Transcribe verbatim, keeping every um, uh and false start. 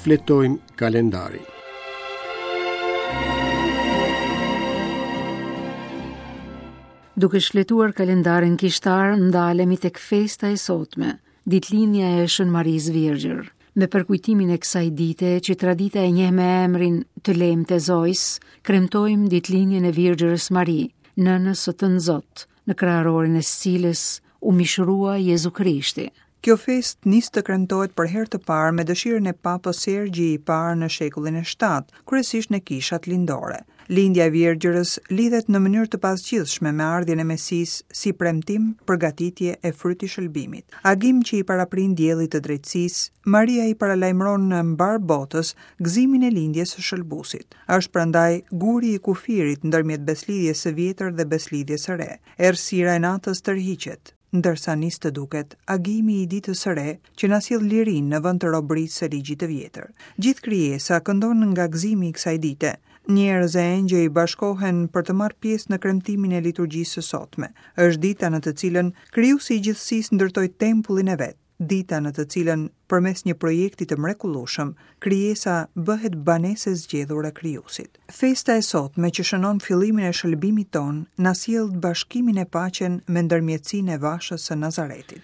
Shfletojmë kalendarin. Duke shfletuar kalendarin kishtar, ndalemi tek festa e sotme, ditëlindja e Shën Marisë Virgjër. Me përkujtimin e kësaj dite, që tradita e njeh me emrin të Lemtë e Zojs, kremtojmë ditëlindjen e Virgjërës Mari, nënës së Tënzot, në kraharorin e së cilës u mishërua Jezu Krishti. Kjo festë nis të kremtohet për herë të parë me dëshirën e Papës Sergji i parë në shekullin e shtatë, kryesisht në kishat lindore. Lindja e Virgjërës lidhet në mënyrë të pazgjidhshme me ardhjen e Mesisë si premtim, përgatitje e fryt i shëlbimit. Agim që i paraprin diellit të drejtësisë, Maria i paralajmëron në mbar botës gëzimin e lindjes së shëlbusit. Është prandaj guri i kufirit ndërmjet beslidhjes së vjetër dhe beslidhjes së re. Errësira e natës tërhiqet, ndërsa nis të duket agimi i ditës së re që na sjell lirinë në vend të robërisë së ligjit të vjetër. Gjithë krijesa këndon nga gëzimi i kësaj dite. Njerëz e engjëj bashkohen për të marrë pjesë në kremtimin e liturgjisë së sotme. Është dita në të cilën krijuesi i gjithësisë ndërtoi tempullin e vet, dita në të cilën përmes një projekti të mrekullueshëm, krijesa bëhet banesë e zgjedhur e krijuesit. Festa e sotme që shënon fillimin e shëlbimit ton, na sjell bashkimin e paqen me ndërmjetësinë e vashës së Nazaretit.